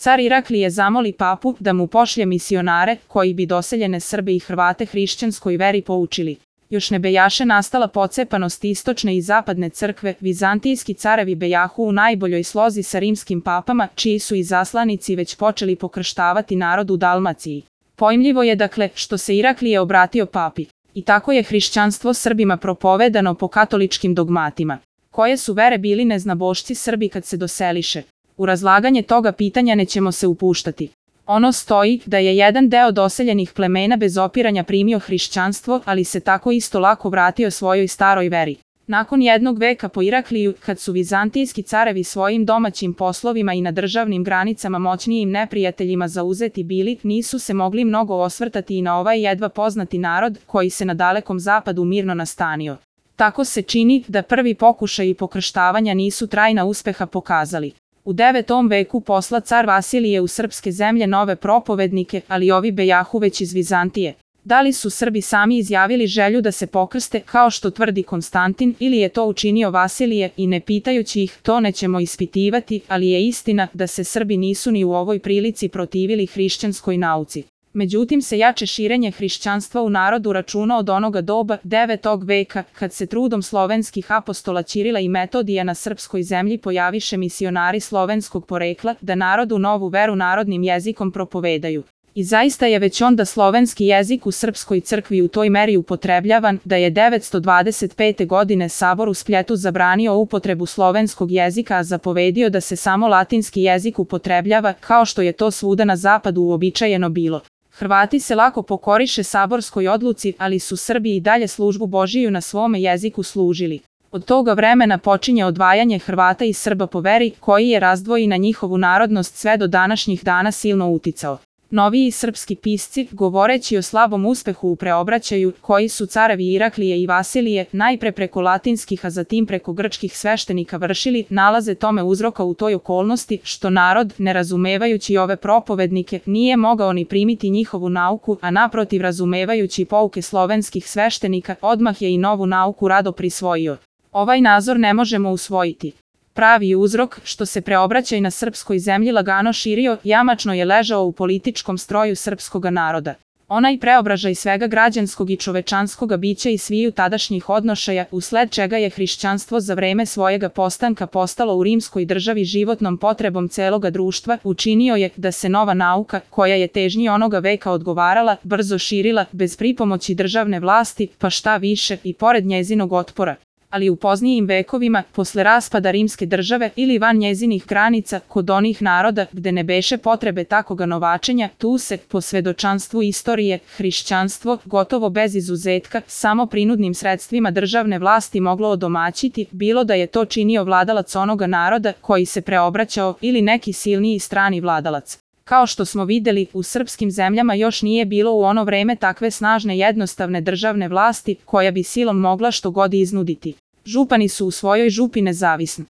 Car Iraklije zamoli papu da mu pošlje misionare koji bi doseljene Srbe i Hrvate hrišćanskoj veri poučili. Još ne bejaše nastala pocepanost istočne i zapadne crkve, vizantijski carevi bejahu u najboljoj slozi sa rimskim papama, čiji su izaslanici već počeli pokrštavati narod u Dalmaciji. Pojmljivo je dakle što se Iraklije obratio papi. I tako je hrišćanstvo Srbima propovedano po katoličkim dogmatima. Koje su vere bili neznabošci Srbi kad se doseliše? U razlaganje toga pitanja nećemo se upuštati. Ono stoji da je jedan deo doseljenih plemena bez opiranja primio hrišćanstvo, ali se tako isto lako vratio svojoj staroj veri. Nakon jednog veka po Irakliju, kad su vizantijski carevi svojim domaćim poslovima i na državnim granicama moćnijim neprijateljima zauzeti bili, nisu se mogli mnogo osvrtati i na ovaj jedva poznati narod koji se na dalekom zapadu mirno nastanio. Tako se čini da prvi pokušaji pokrštavanja nisu trajna uspeha pokazali. U 9. veku posla car Vasilije u srpske zemlje nove propovednike, ali ovi bejahu već iz Vizantije. Da li su Srbi sami izjavili želju da se pokrste, kao što tvrdi Konstantin, ili je to učinio Vasilije i ne pitajući ih, to nećemo ispitivati, ali je istina da se Srbi nisu ni u ovoj prilici protivili hrišćanskoj nauci. Međutim se jače širenje hrišćanstva u narodu računa od onoga doba 9. veka, kad se trudom slovenskih apostola Ćirila i Metodija na srpskoj zemlji pojaviše misionari slovenskog porekla da narodu novu veru narodnim jezikom propovedaju. I zaista je već onda slovenski jezik u srpskoj crkvi u toj meri upotrebljavan da je 925. godine Sabor u Spljetu zabranio upotrebu slovenskog jezika, a zapovedio da se samo latinski jezik upotrebljava, kao što je to svuda na zapadu uobičajeno bilo. Hrvati se lako pokoriše saborskoj odluci, ali su Srbi i dalje službu Božiju na svome jeziku služili. Od toga vremena počinje odvajanje Hrvata i Srba po veri, koji je razdvoji na njihovu narodnost sve do današnjih dana silno uticao. Noviji srpski pisci, govoreći o slabom uspehu u preobraćaju, koji su carevi Iraklije i Vasilije, najpre preko latinskih a zatim preko grčkih sveštenika vršili, nalaze tome uzroka u toj okolnosti što narod, ne razumevajući ove propovednike, nije mogao ni primiti njihovu nauku, a naprotiv razumevajući pouke slovenskih sveštenika, odmah je i novu nauku rado prisvojio. Ovaj nazor ne možemo usvojiti. Pravi uzrok, što se preobraćaj na srpskoj zemlji lagano širio, jamačno je ležao u političkom stroju srpskoga naroda. Onaj preobražaj svega građanskog i čovečanskoga bića i sviju tadašnjih odnošaja, usled čega je hrišćanstvo za vreme svojega postanka postalo u rimskoj državi životnom potrebom celoga društva, učinio je da se nova nauka, koja je težnji onoga veka odgovarala, brzo širila, bez pripomoći državne vlasti, pa šta više, i pored njezinog otpora. Ali u poznijim vekovima, posle raspada rimske države ili van njezinih granica, kod onih naroda gde ne beše potrebe takoga novačenja, tu se, po svedočanstvu istorije, hrišćanstvo, gotovo bez izuzetka, samo prinudnim sredstvima državne vlasti moglo odomaćiti, bilo da je to činio vladalac onoga naroda koji se preobraćao ili neki silniji strani vladalac. Kao što smo videli, u srpskim zemljama još nije bilo u ono vreme takve snažne jednostavne državne vlasti koja bi silom mogla što god iznuditi. Župani su u svojoj župi nezavisni.